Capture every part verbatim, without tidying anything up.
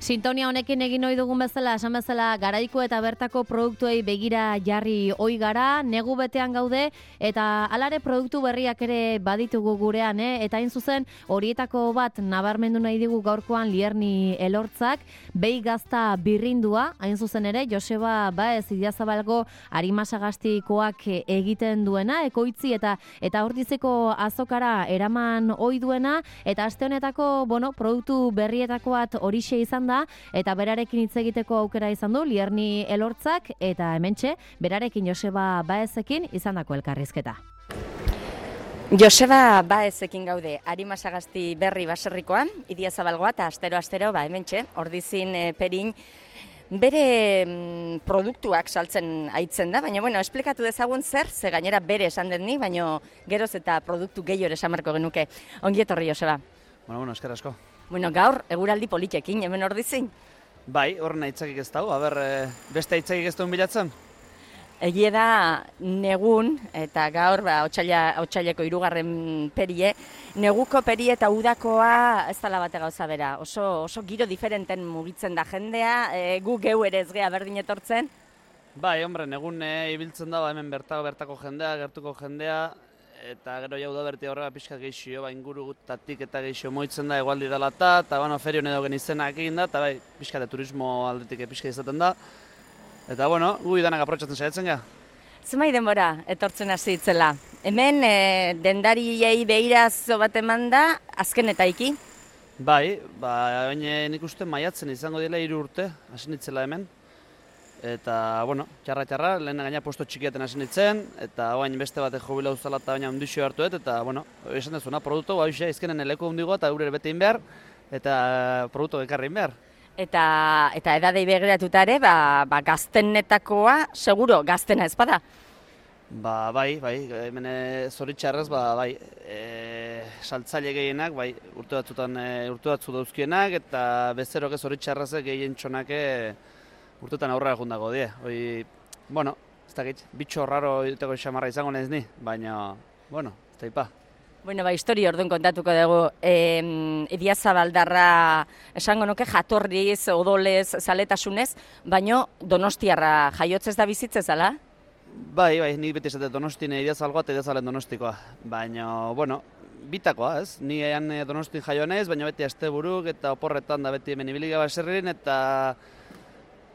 Sintonia honekin egin ohi dugun bezala, esan bezala, garaiko eta bertako produktuei begira jarri ohi gara, negu betean gaude, eta alare produktu berriak ere baditugu gurean, eh? Eta hain zuzen, horietako bat nabarmendu nahi digu gaurkoan Lierni Elortzak, behi gazta birrindua, hain zuzen ere, Joseba Baez Idiazabalgo Arimasagastikoak egiten duena, ekoitzi eta eta Ordizeko azokara eraman ohi duena, eta aste honetako, bueno, produktu berrietako bat horixe izan da, eta berarekin hitz egiteko aukera izan du Lierni Elortzak, eta hementxe berarekin Joseba Baezekin izandako elkarrizketa. Joseba Baezekin gaude, Arimasagasti berri baserrikoan, Idiazabalgoa eta astero-astero, ba, hementxe, Ordizin e, perin, bere mm, produktuak saltzen aitzen da, baina, bueno, esplikatu dezagun zer, ze gainera bere esan den ni, baina geroz eta produktu gehiore esan marko genuke. Ongi etorri, Joseba. Bueno, bueno, esker asko. Bueno, gaur, eguraldi politekin, hemen Ordizin. Bai, horren aitzakik ez dago, aber, e, beste aitzakik ez duen bilatzen? Egie da negun, eta gaur, ba, otsaila, otsaileko hirugarren perie, neguko perie eta udakoa ez dela bate gauza bera. Oso, oso giro diferenten mugitzen da jendea, e, gu geu ere ez gea berdin etortzen. Bai, hombre, negun e, ibiltzen da, hemen bertako bertako jendea, gertuko jendea, eta gero jau da berti horrela pixka geixio, ba, ingurutatik eta geixio moitzen da, egualdi dela eta, eta bueno, ferion edo genizenak egin da, eta bai, pixka de turismo aldetik pixka izaten da. Eta bueno, gu idanak aprotxatzen saiatzen ga. Zumai denbora etortzen hasi itzela. Hemen e, dendariei behirazo bat eman da, azken eta iki? Bai, ba, baina nik uste maiatzen izango dela hiru urte, hasi nitzela hemen. Eta, bueno, txarra-txarra, lehen gaina posto txikiaten hasi nitzen, eta oain beste batek jobila uzala eta baina ondixio hartu dut, eta, bueno, esan dezuna, produktu, ba, izkenen eleku hundigo eta gure bete behar, eta produktu ekarri behar. Eta, eta edadei begiratuta ere, ba, ba, gaztenetakoa, seguro, gaztena ez bada? Ba, bai, bai, hemen zoritxarrez, ba, bai, e, saltzaile gehienak, bai, urte batzutan, e, urte batzu dauzkienak, eta bezeroke zoritxarrezek gehien txonake urtetan aurrera jundago die. Hoi, bueno, ez dakit, bitxo raro iteko xamarra izango naiz ni, baina, bueno, ez da ipa. Bueno, ba, histori orduan kontatuko dugu. E, Idiazabaldarra esango nuke jatorriz, odolez, zaletasunez, baino Donostiarra jaiotzez da bizitzez, ala? Bai, bai, nik beti esate Donostine Idiazalgoa eta Idiazalen Donostikoa. Baina, bueno, bitakoa, ez? Ni ean Donostin jaio naiz, baina beti asteburuk eta oporretan da beti hemen ibiliga baserrin, eta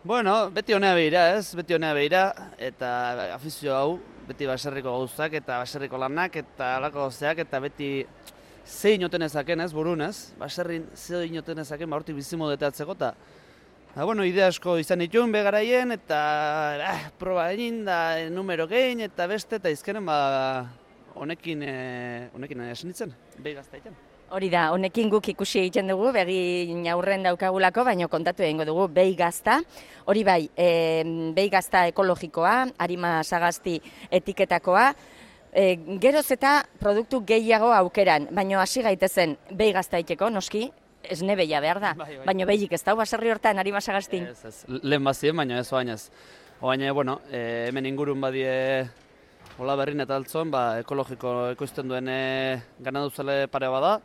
bueno, beti honea behira, ez? Beti honea behira, eta afizio hau, beti baserriko gauzak, eta baserriko lanak, eta alako gauzeak, eta beti ze inoten ezaken, ez, burun, ez? Baserrin ze inoten ezaken, ba, hortik bizimodeteatzeko, eta Ba, bueno, idea asko izan dituen begaraien, eta eh, proba egin da numero gehin, eta beste, eta izkenen, ba, honekin, eh, honekin esan ditzen, behi gazta egiten. Hori da, honekin guk ikusi egiten dugu, begi aurren daukagulako, baina kontatu egingo dugu behi gazta. Hori bai, e, behi gazta ekologikoa, Arimasagasti etiketakoa, e, geroz eta produktu gehiago aukeran, baina hasi gaitezen behi gazta egiteko, noski, esne behia behar da, bai, bai. Baina behik ez da, baserri hortan, Arimasagastin. Ez, ez, lehen bazien, baina ez oainez. Oaine, bueno, e, hemen ingurun badie hola berrin eta altzon, ba, ekologiko ekoizten duen e, ganaduzale pare bada.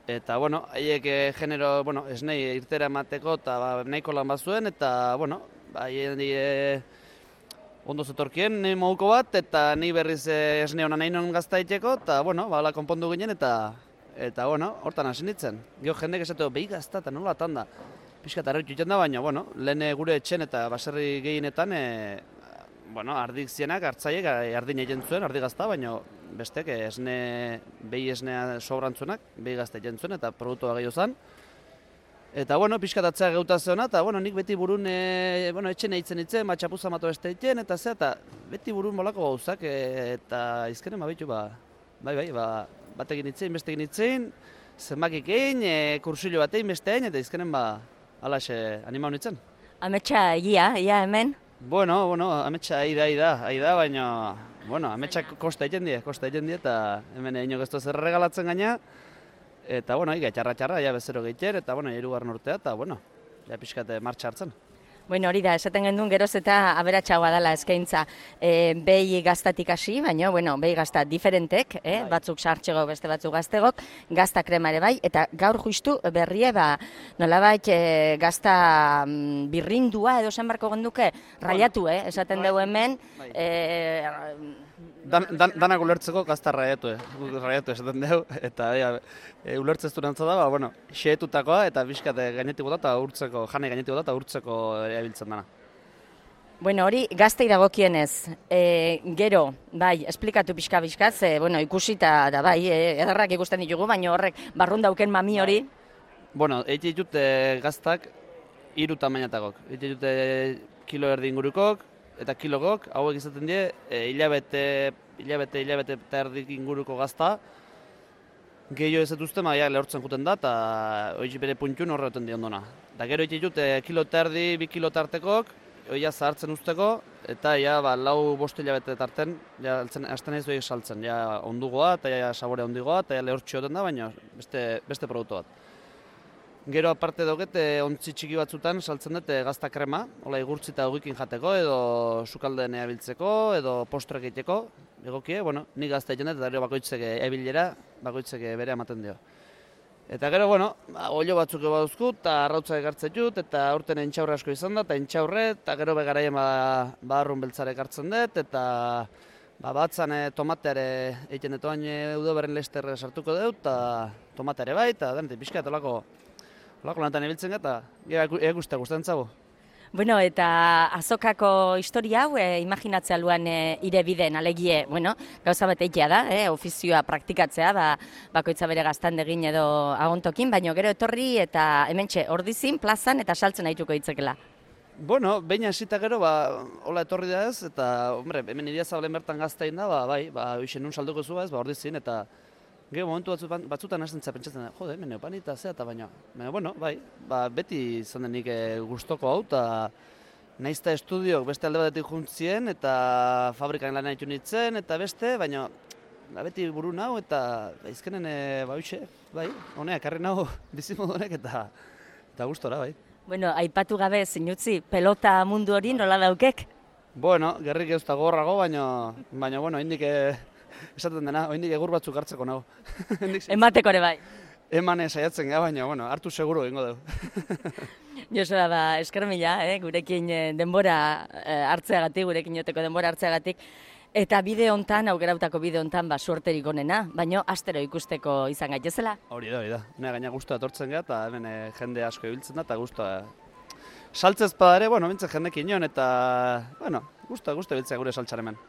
Eta, bueno, haiek e, genero, bueno, esnei irtera emateko eta ba, nahiko lan bazuen, eta, bueno, haien e, ondo zetorkien, nahi moguko bat, eta ni berriz e, esne hona nahi non gazta iteko, eta, bueno, ba, ala konpondu ginen, eta, eta, bueno, hortan hasi nintzen. Gio jendek esateko, behi gazta eta nola atan da. Piskat arretu iten da, baina, bueno, lehen gure etxen eta baserri gehienetan, e, bueno, ardik zienak, hartzaiek, ardin egin zuen, ardi gazta, baina bestek esne, behi esnea sobrantzuenak, behi gazta egin zuen, eta produktua gehiago zen. Eta, bueno, pixkatatzea geuta zeona, eta, bueno, nik beti burun, e, bueno, etxen eitzen itzen, ba, txapuza mato beste egiten, eta ze, eta beti burun molako gauzak, e, eta izkenen, ba, behitu, ba, bai, bai, ba, batekin itzen, bestekin itzen, zenbakik egin, e, kursillo batein, beste egin, eta izkenen, ba, alaxe anima honitzen. Ametsa egia, ia hemen? Bueno, bueno, ametsa aida, aida, aida, baina, bueno, ametsak kosta egiten die, kosta egiten die, eta hemen egin ez zer regalatzen gaina, eta, bueno, iga, txarra-txarra, ja bezero gehiter, eta, bueno, hirugarren urtea, eta, bueno, ja pixkate martxa hartzen. Bueno, hori da, esaten gendun geroz eta aberatsagoa dela eskaintza. E, behi gaztatik hasi, baina, bueno, behi gazta diferentek, eh? batzuk sartxego, beste batzuk gaztegok, gazta krema ere bai, eta gaur justu berrie, ba, nolabait e, gazta mm, birrindua edo zen barko genduke, raiatu, eh? esaten dugu hemen, e, Dan, dan, danak ulertzeko gazta raiatu, eh? raiatu esaten dugu, eta ja, e, ulertzez durantza da, ba, bueno, xeetutakoa eta bizkat gainetik bota eta urtzeko, jane gainetik bota eta urtzeko erabiltzen dana. Bueno, hori gaztei dagokienez, e, gero, bai, esplikatu pixka-pixka, ze, bueno, ikusita da, bai, e, ederrak ikusten ditugu, baina horrek barrun dauken mami hori. Bueno, eite ditut e, gaztak hiru tamainatagok. Eite ditut e, kilo erdi ingurukok, eta kilogok, hauek izaten die, e, hilabete, hilabete, hilabete eta erdik inguruko gazta, gehiago ez dituzte, maia lehortzen juten da, eta hori bere puntxun horretan di ondona. Da gero egite ditut, e, kilo eta erdi, bi kilo tartekok, hori zahartzen usteko, eta ja, ba, lau bost hilabete tarten, ja, hasten ez horiek saltzen, ja, ondugoa, eta ja, sabore ondugoa, eta ja, lehortxioten da, baina beste, beste produktu bat. Gero aparte dauket, ontzi txiki batzutan saltzen dut gazta krema, hola igurtzi eta ogikin jateko, edo sukaldeen eabiltzeko, edo postrek egiteko, egokie, bueno, ni gazta egiten dut, eta gero bakoitzek ebilera, bakoitzek bere ematen dio. Eta gero, bueno, olio batzuk baduzku, eta arrautza ekartzen dut, eta aurten entxaurre asko izan da, eta entxaurre, eta gero begaraien ba, barrun beltzare ekartzen dut, eta ba, batzan e, tomateare egiten dut, baina udo berren lesterre sartuko dut, eta tomateare bai, eta denetik pixka, eta olako, olako lantan ebiltzen eta eguste gustatzen zago. Bueno, eta azokako historia hau, e, imaginatzea luan e, ire bideen alegie, bueno, gauza bat eitea da, e, ofizioa praktikatzea, ba, bakoitza bere gaztandegin edo agontokin, baina gero etorri eta hementxe ordizin, plazan eta saltzen aituko hitzekela. Bueno, behin hasita gero, ba, hola etorri da ez, eta, hombre, hemen idia zabalen bertan gaztein da, ba, bai, ba, uixen nun salduko zu ez, ba, ordizin, eta gero momentu batzutan, batzutan hasten za pentsatzen da, jode, hemen eupanita zea eta baina, baina, bueno, bai, ba, beti izan denik e, gustoko hau, eta naizta estudiok beste alde batetik juntzien, eta fabrikan lan haitu nintzen, eta beste, baina, ba, beti buru nau, eta izkenen, e, ba, uixe, bai, honeak, karri nau bizimodu honek, eta, eta gustora, bai. Bueno, aipatu gabe, zinutzi, pelota mundu hori nola daukek? Bueno, gerrik ez da gorrago, baina, baina, bueno, indik, e, esaten dena, oindik egur batzuk hartzeko nago. Emateko ere bai. Eman saiatzen gara, baina, bueno, hartu seguro egingo dugu. Josua, ba, esker mila, eh, gurekin denbora hartzeagatik, gurekin joteko denbora hartzeagatik. Eta bide hontan, aukerautako bide hontan, ba, suerterik onena, baina astero ikusteko izan gaitezela. Hori da, hori da. Nea gaina guztua etortzen gara, eta hemen e, jende asko ibiltzen da, eta guztua saltzez pada ere, bueno, bintzen jendekin nion, eta, bueno, guztua, guztua ibiltzea gure saltxaremen.